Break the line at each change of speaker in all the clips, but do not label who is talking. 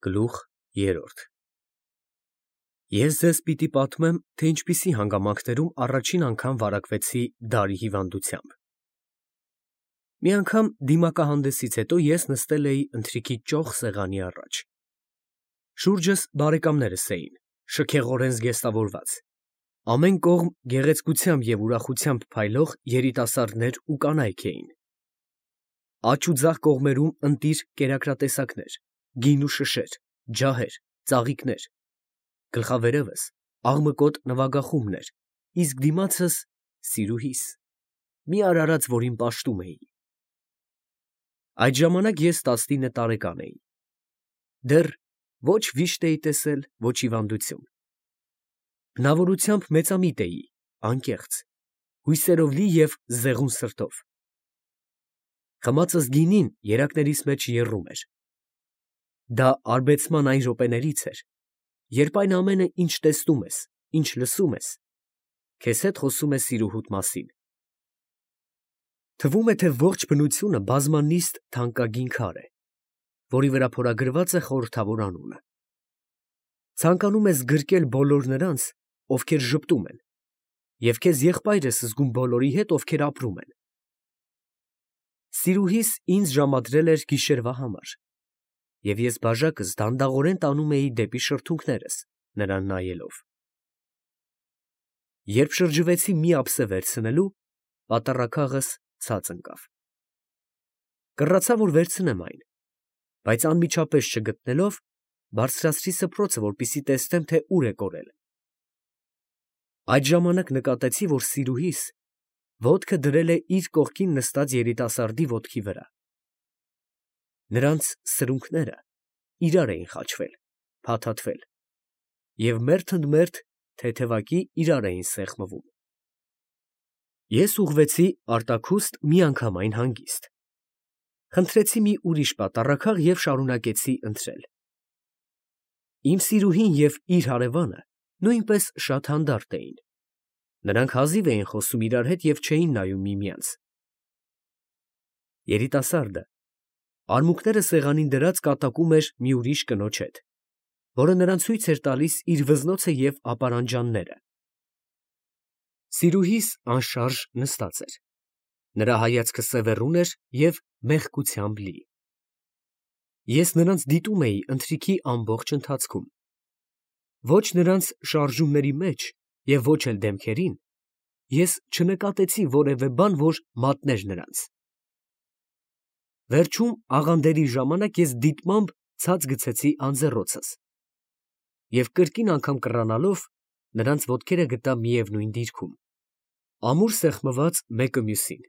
Գլուխ 3 Ես ձեզ պիտի պատմեմ, թե ինչպիսի հանգամանքներում առաջին անգամ վարակվեցի դարի հիվանդությամբ։ Մի անգամ դիմակահանդեսից հետո ես նստել էի ընթրիքի ճոխ սեղանի առաջ։ Շուրջս բարեկամներս էին, շքեղորեն զգեստավորված, ամեն կողմ գեղեցկությամբ և ուրախությամբ փայլող երիտասարդներ ու կանայք էին։ Աջ ու ձախ կողմերում ընտիր կերակրատեսակներ, գին ու շշեր, ջահեր, ծաղիկներ, գլխավերևս աղմկոտ նվագախումբներ, իսկ դիմացս սիրուհիս, մի արարած, որին պաշտում էի։ Այդ ժամանակ ես 19 տարեկան էի։ Դեռ ոչ վիշտ էի տեսել, ոչ հիվանդություն։ Բնավորությամբ մեծամիտ էի, անկեղծ, հույսերով լի և զեղուն սրտով։ Խմածս գինին երակներիս մեջ եռում էր։ Դա արբեցման այն րոպեներից էր, երբ այն ամենը, ինչ տեսնում ես, ինչ լսում ես, քեզ հետ խոսում է սիրուհուդ մասին։ Թվում է, թե ողջ բնությունը բազմանիստ թանկագին քար է, որի վրա փորագրված է խորհրդավոր անունը։ Ցանկանում ես գրկել բոլոր նրանց, ովքեր ժպտում են, և քեզ եղբայր ես զգում բոլորի հետ, ովքեր ապրում են։ Սիրուհիս ինձ ժամադրել էր գիշերվա համար, և ես բաժակս դանդաղորեն տանում էի դեպի շրթունքներս, նրան նայելով։ Երբ շրջվեցի մի ափսե վերցնելու, պատառաքաղս ցած ընկավ։ Կռացա, որ վերցնեմ այն, բայց անմիջապես չգտնելով, բարձրացրի սփռոցը, որպեսզի տեսնեմ, թե ուր է կորել։ Այդ ժամանակ նկատեցի, որ սիրուհիս ոտքը դրել է իր կողքին նստած երիտասարդի ոտքի վրա։ Նրանց սրունքները իրար էին խաչվել, փաթաթվել, և մերթ ընդ մերթ թեթևակի իրար էին սեղմվում։ Ես ուղղվեցի արտաքուստ միանգամայն հանգիստ։ Խնդրեցի մի ուրիշ պատառաքաղ և շարունակեցի ընթրել։ Իմ սիրուհին և իր հարևանը նույնպես շատ հանդարտ էին։ Նրանք հազիվ էին խոսում իրար հետ և չէին նայում միմյանց։ Երիտասարդը արմունկները սեղանին դրած կատակում էր մի ուրիշ կնոջ հետ, որը նրան ցույց էր տալիս իր վզնոցը և ապարանջանները։ Սիրուհիս անշարժ նստած էր, նրա հայացքը սևեռուն էր և մեղքությամբ լի։ Ես նրանց դիտում էի ընթրիքի ամբողջ ընթացքում։ Ոչ նրանց շարժումների մեջ և ոչ էլ դեմքերին ես չնկատեցի որևէ բան, որ մատներ նրանց։ Վերջում աղանդերի ժամանակ ես դիտմամբ ցած գցեցի անձեռոցս և կրկին անգամ կռանալով նրանց ոտքերը գտա միևնույն դիրքում, ամուր սեղմված մեկը մյուսին։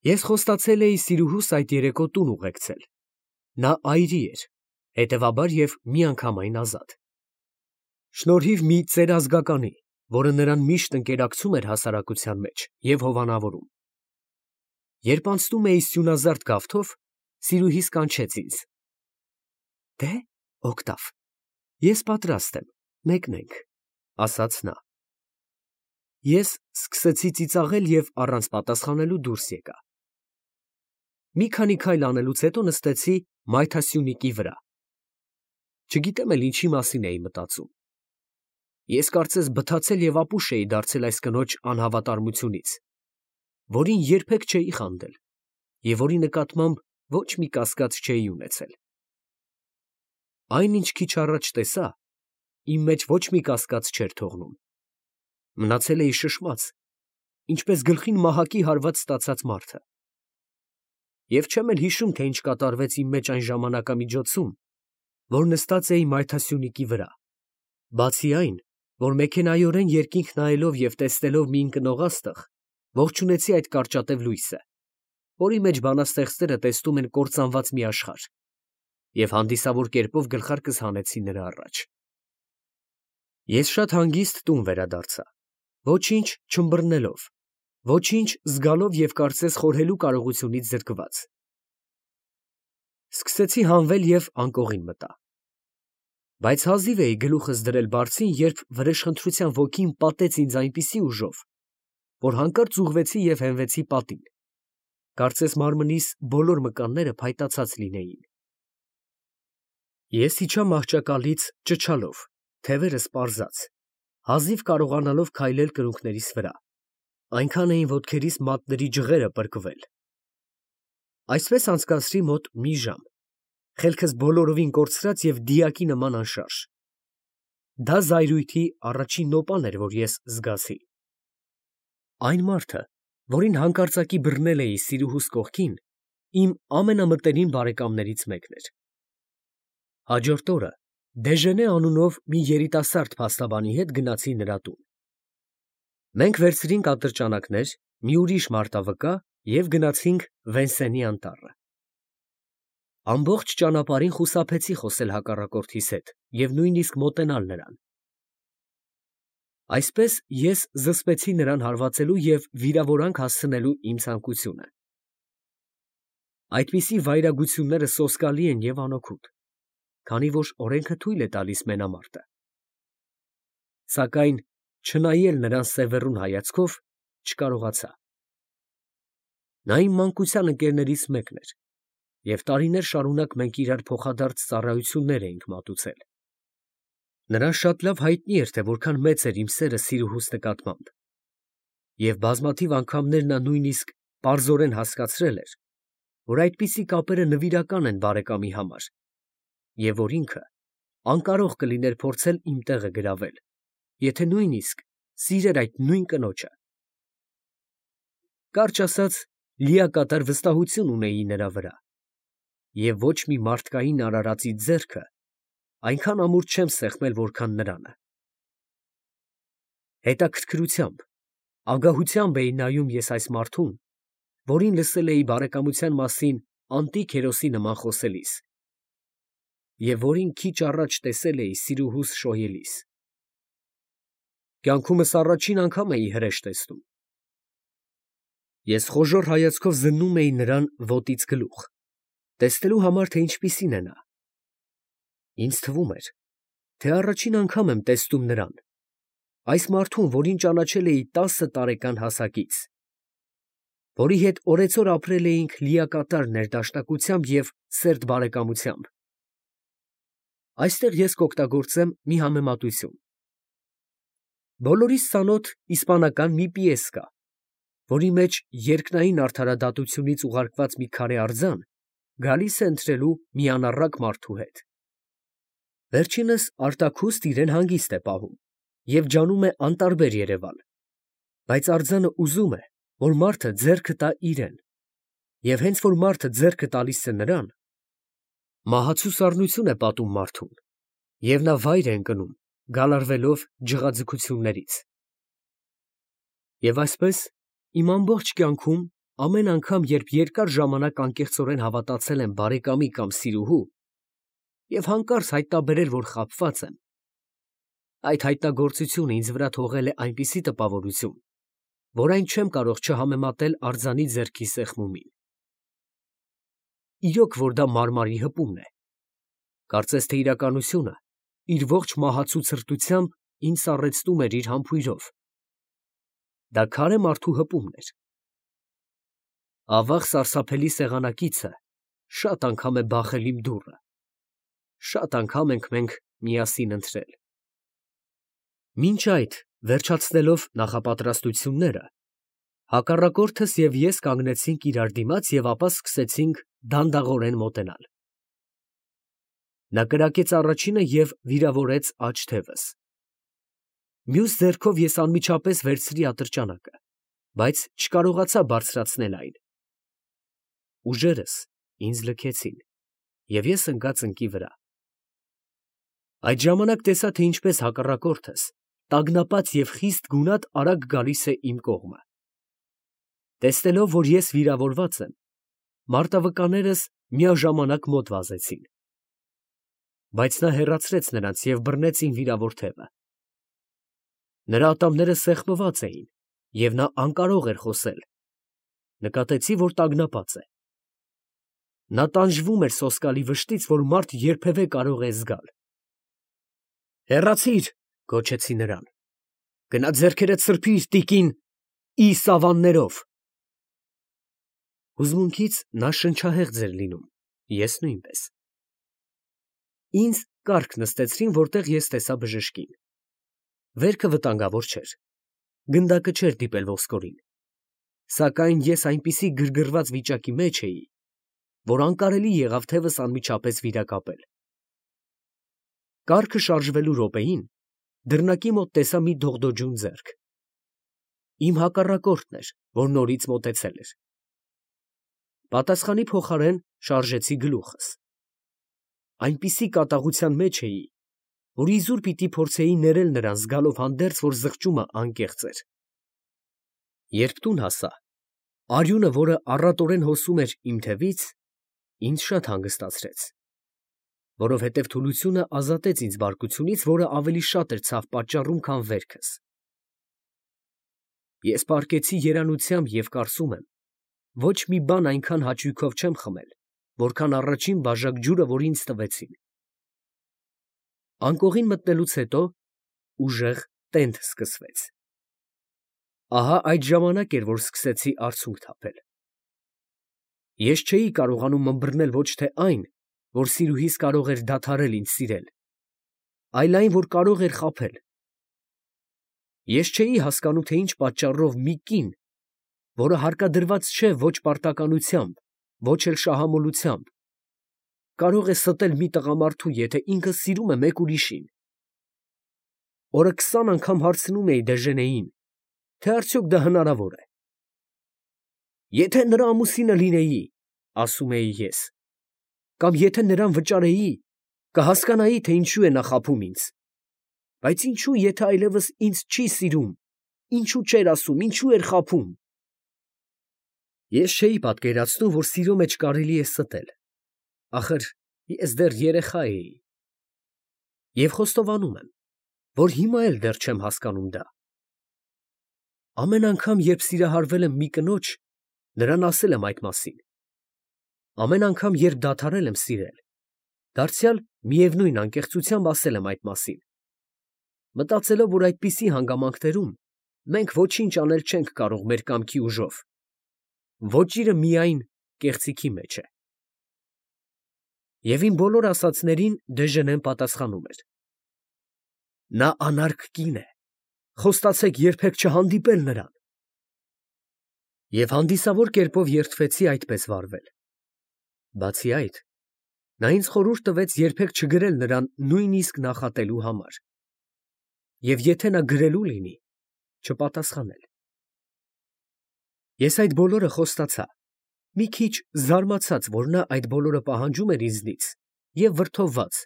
Ես խոստացել էի սիրուհուս այդ երեկո տուն ուղեկցել։ Նա այրի էր, հետևաբար և միանգամայն ազատ։ Շնորհիվ մի ծերազգականի, որը նրան միշտ ընկերակցում էր հասարակության մեջ և հովանավորում։ Երբ անցնում էի սյունազարդ գավթով, սիրուհիս կանչեց ինձ. «Դե, Օգտավ, ես պատրաստ եմ, մեկնենք», ֊ ասաց նա։ Ես սկսեցի ծիծաղել և առանց պատասխանելու դուրս եկա։ Մի քանի քայլ անելուց հետո նստեցի մայթասյունիկի վրա։ Չգիտեմ էլ ինչի մասին էի մտածում։ Ես կարծես բթացել և ապուշ էի դարձել այս կնոջ անհավատարմությունից, որին երբեք չէի խանդել և որի նկատմամբ ոչ մի կասկած չէի ունեցել։ Այն, ինչ քիչ առաջ տեսա, իմ մեջ ոչ մի կասկած չէր թողնում։ Մնացել էի շշմած, ինչպես գլխին մահակի հարված ստացած մարդը։ Եվ չեմ էլ հիշում, թե ինչ կատարվեց իմ մեջ այն ժամանակամիջոցում, որ նստած էի մայթասյունիկի վրա, բացի այն, որ մեքենայորեն երկինք նայելով և տեսնելով մի ընկնող աստղ, ողջունեցի այդ կարճատև լույսը, որի մեջ բանաստեղծները տեսնում են կործանված մի աշխարհ, և հանդիսավոր կերպով գլխարկս հանեցի նրա առաջ։ Ես շատ հանգիստ տուն վերադարձա, ոչինչ չըմբռնելով, ոչինչ զգալով և կարծես խորհելու կարողությունից զրկված։ Սկսեցի հանվել և անկողին մտա։ Բայց հազիվ էի գլուխս դրել բարձին, երբ վրեժխնդրության ոգին պատեց ինձ այնպիսի ուժով, որ հանկարծ ուղղվեցի և հենվեցի պատին, կարծես մարմնիս բոլոր մկանները փայտացած լինեին։ Ես իջա մահճակալից ճչալով, թևերս պարզած, հազիվ կարողանալով քայլել կրունկներիս վրա, այնքան էին ոտքերիս մատների ջղերը պրկվել։ Այսպես անցկացրի մոտ մի ժամ, խելքս բոլորովին կորցրած և դիակի նման անշարժ։ Դա զայրույթի առաջին նոպան էր, որ ես զգացի։ Այն մարդը, որին հանկարծակի բռնել էի սիրուհուս կողքին, իմ ամենամտերիմ բարեկամներից մեկն էր։ Հաջորդ օրը Դեժենե անունով մի երիտասարդ փաստաբանի հետ գնացի նրա տուն։ Մենք վերցրինք ատրճանակներ, մի ուրիշ մարտավկա և գնացինք Վենսենի անտառը։ Ամբողջ ճանապարհին խուսափեցի խոսել հակառակորդիս հետ և նույնիսկ մոտենալ նրան։ Այսպես ես զսպեցի նրան հարվածելու և վիրավորանք հասցնելու իմ ցանկությունը։ Այդպիսի վայրագությունները սոսկալի են և անօգուտ, քանի որ օրենքը թույլ է տալիս մենամարտը։ Սակայն չնայել նրան սևեռուն հայացքով չկարողացա։ Նա իմ մանկության ընկերներից մեկն էր, և տարիներ շարունակ մենք իրար փոխադարձ ծառայություններ էինք մատուցել։ Նրան շատ լավ հայտնի էր, թե որքան մեծ էր իմ սերը սիրուհուս նկատմամբ, և բազմաթիվ անգամներ նա նույնիսկ պարզորեն հասկացրել էր, որ այդպիսի կապերը նվիրական են բարեկամի համար, և որ ինքը անկարող կլիներ փորձել իմ տեղը գրավել, եթե նույնիսկ սիրեր այդ նույն կնոջը։ Կարճ ասած, լիակատար վստահություն ունեի նրա վրա, և ոչ մի մարդկային արարածի ձեռքը այնքան ամուր չեմ սեղմել, որքան նրանը։ Հետաքրքրությամբ, ագահությամբ էի նայում ես այս մարդուն, որին լսել էի բարեկամության մասին անտիկ հերոսի նման խոսելիս, և որին քիչ առաջ տեսել էի սիրուհուս շոյելիս։ Կյանքումս առաջին անգամ էի հրեշ տեսնում։ Ես խոժոռ հայացքով զննում էի նրան ոտից գլուխ, տեսնելու համար, թե ինչպիսին է նա։ Ինձ թվում էր, թե առաջին անգամ եմ տեսնում նրան, այս մարդուն, որին ճանաչել էի 10 տարեկան հասակից, որի հետ օրեցօր ապրել էինք լիակատար ներդաշնակությամբ և սերտ բարեկամությամբ։ Այստեղ ես կօգտագործեմ մի համեմատություն։ Բոլորիս ծանոթ իսպանական մի պիես կա, որի մեջ երկնային արդարադատությունից ուղարկված մի քարե արձան գալիս է ընթրելու մի անառակ մարդու հետ։ Վերջինս արտաքուստ իրեն հանգիստ է պահում և ջանում է անտարբեր երևալ, բայց արձանը ուզում է, որ մարդը ձեռքը տա իրեն, և հենց որ մարդը ձեռքը տալիս է նրան, մահացու սառնություն է պատում մարդուն, և նա վայր է ընկնում, գալարվելով ջղաձգություններից։ Եվ այսպես, իմ ամբողջ կյանքում ամեն անգամ, երբ երկար ժամանակ անկեղծորեն հավատացել եմ բարեկամի կամ սիրուհու և հանկարծ հայտնաբերել, որ խաբված եմ, այդ հայտնագործությունը ինձ վրա թողել է այնպիսի տպավորություն, որ այն չեմ կարող չհամեմատել արձանի ձեռքի սեղմումին։ Իրոք, որ դա մարմարի հպումն է։ Կարծես թե իրականությունը իր ողջ մահացու ցրտությամբ ինձ սառեցնում էր իր համբույրով։ Դա քարե մարդու հպումն էր։ Ավաղ սարսափելի սեղանակիցը շատ անգամ է բախել իմ դուռը, շատ անգամ ենք մենք միասին ընթրել։ Մինչ այդ, վերջացնելով նախապատրաստությունները, հակառակորդս և ես կանգնեցինք իրար դիմաց և ապա սկսեցինք դանդաղորեն մոտենալ։ Նա կրակեց առաջինը և վիրավորեց աջ թևս։ Մյուս ձեռքով ես անմիջապես վերցրի ատրճանակը, բայց չկարողացա բարձրացնել այն։ Ուժերս ինձ լքեցին, և ես ընկա ծնկի վրա։ Այդ ժամանակ տեսա, թե ինչպես հակառակորդս տագնապած և խիստ գունատ արագ գալիս է իմ կողմը։ Տեսնելով, որ ես վիրավորված եմ, մարտավկաններս միաժամանակ մոտ վազեցին։ Բայց նա հեռացրեց նրանց և բռնեց իմ վիրավոր թևը։ Նրա ատամները սեղմված էին, և նա անկարող էր խոսել։ Նկատեցի, որ տագնապած է։ Նա տանջվում էր սոսկալի վշտից, որ մարդ երբևէ կարող է զգալ։ «Հեռացի՛ր», գոչեցի նրան։ «Գնա ձեռքերդ սրբի՛ր, տիկին ի սավաններով»։ Հուզմունքից նա շնչահեղձ էր լինում, ես նույնպես։ Ինձ կառք նստեցրին, որտեղ ես տեսա բժշկին։ Վերքը վտանգավոր չէր։ Գնդակը չէր դիպել ոսկորին։ Սակայն ես այնպիսի գրգռված վիճակի մեջ էի, որ անկարելի եղավ թևս անմիջապես վիրակապել։ Կառքը շարժվելու րոպեին դռնակի մոտ տեսա մի դողդոջուն ձեռք։ Իմ հակառակորդն էր, որ նորից մոտեցել էր։ Պատասխանի փոխարեն շարժեցի գլուխս։ Այնպիսի կատաղության մեջ էի, որ իզուր պիտի փորձեի ներել նրան, զգալով հանդերձ, որ զղջումը անկեղծ էր։ Երբ տուն հասա, արյունը, որը առատորեն հոսում էր իմ թևից, ինձ շատ հանգստացրեց, որովհետև թուլությունը ազատեց ինձ բարկությունից, որը ավելի շատ էր ցավ պատճառում, քան վերքս։ Ես պառկեցի երանությամբ և կարծում եմ, ոչ մի բան այնքան հաճույքով չեմ խմել, որքան առաջին բաժակ ջուրը, որ ինձ տվեցին։ Անկողին մտնելուց հետո ուժեղ տենդ սկսվեց։ Ահա այդ ժամանակ էր, որ սկսեցի արցունք թափել։ Ես չէի կարողանում ըմբռնել ոչ թե այն, որ սիրուհիս կարող էր դադարել ինձ սիրել, այլ այն, որ կարող էր խաբել։ Ես չէի հասկանում, թե ինչ պատճառով մի կին, որը հարկադրված չէ ոչ պարտականությամբ, ոչ էլ շահամոլությամբ, կարող է ստել մի տղամարդու, եթե ինքը սիրում է մեկ ուրիշին։ Օրը 20 անգամ հարցնում էի Դեժենեին, թե արդյոք դա հնարավոր է։ Եթե նրա ամուսինը լինեի, ասում էի ես, կամ եթե նրան վճարեի, կհասկանայի, թե ինչու է նա խաբում ինձ։ Բայց ինչու, եթե այլևս ինձ չի սիրում, ինչու չէր ասում, ինչու էր խաբում։ Ես չէի պատկերացնում, որ սիրո մեջ կարելի է ստել։ Ախր ես դեռ երեխա էի։ Եվ խոստովանում եմ, որ հիմա էլ դեռ չեմ հասկանում դա։ Ամեն անգամ, երբ սիրահարվել եմ մի կնոջ, նրան ասել եմ այդ մասին։ Ամեն անգամ, երբ դադարել եմ սիրել, դարձյալ միևնույն անկեղծությամբ ասել եմ այդ մասին, մտածելով, որ այդպիսի հանգամանքներում մենք ոչինչ անել չենք կարող մեր կամքի ուժով, ոճիրը միայն կեղծիքի մեջ է։ Եվ իմ բոլոր ասածներին Դեժենեն պատասխանում էր. նա անարգ կին է, խոստացեք երբեք չհանդիպել նրան։ Եվ հանդիսավոր կերպով երդվեցի այդպես վարվել։ Բացի այդ, նա ինձ խորհուրդ տվեց երբեք չգրել նրան նույնիսկ նախատելու համար։ Եվ եթե նա գրելու լինի, չպատասխանել։ Ես այդ բոլորը խոստացա, մի քիչ զարմացած, որ նա այդ բոլորը պահանջում էր ինձնից, և վրդովված,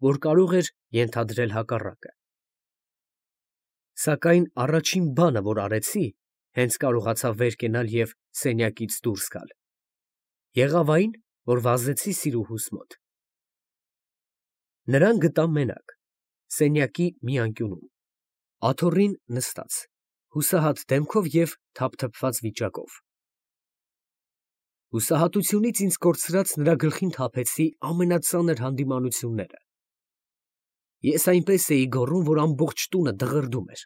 որ կարող էր ենթադրել հակառակը։ Սակայն առաջին բանը, որ արեցի, հենց կարողացա վեր կենալ և սենյակից դուրս գալ, եղավ այն, որ վազեցի սիրուհուս մոտ։ Նրան գտա մենակ, սենյակի մի անկյունում, աթոռին նստած, հուսահատ դեմքով և թափթփված վիճակով։ Հուսահատությունից ինձ կորցրած նրա գլխին թափեցի ամենածանր հանդիմանությունները։ Ես այնպես էի գոռում, որ ամբողջ տունը դղրդում էր,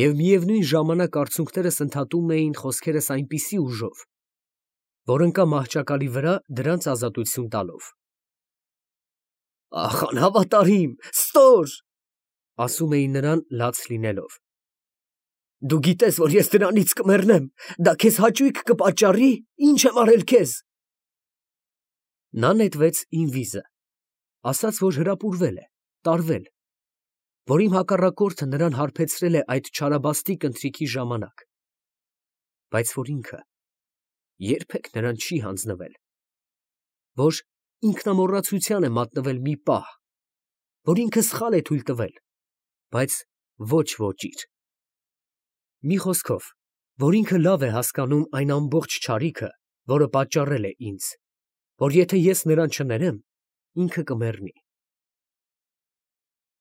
և միևնույն ժամանակ արցունքներս ընդհատում էին խոսքերս այնպիսի ուժով, որ ընկա մահճակալի վրա դրանց ազատություն տալով։ Ախ, անհավատարիմ, ստոր, ասում էի նրան լաց լինելով։ Դու գիտես, որ ես դրանից կմեռնեմ, դա քեզ հաճույք կպատճառի, ինչ եմ արել քեզ։ Նա նետվեց իմ վիզը, ասաց, որ հրապուրվել է, տարվել, որ իմ հակառակորդը նրան հարբեցրել է այդ չարաբաստիկ ընթրիքի ժամանակ, բայց որ ինքը երբեք նրան չի հանձնվել, որ ինքնամոռացության է մատնվել մի պահ, որ ինքը սխալ է թույլ տվել, բայց ոչ ոճիր։ Մի խոսքով, որ ինքը լավ է հասկանում այն ամբողջ չարիքը, որը պատճառել է ինձ, որ եթե ես նրան չներեմ, ինքը կմեռնի։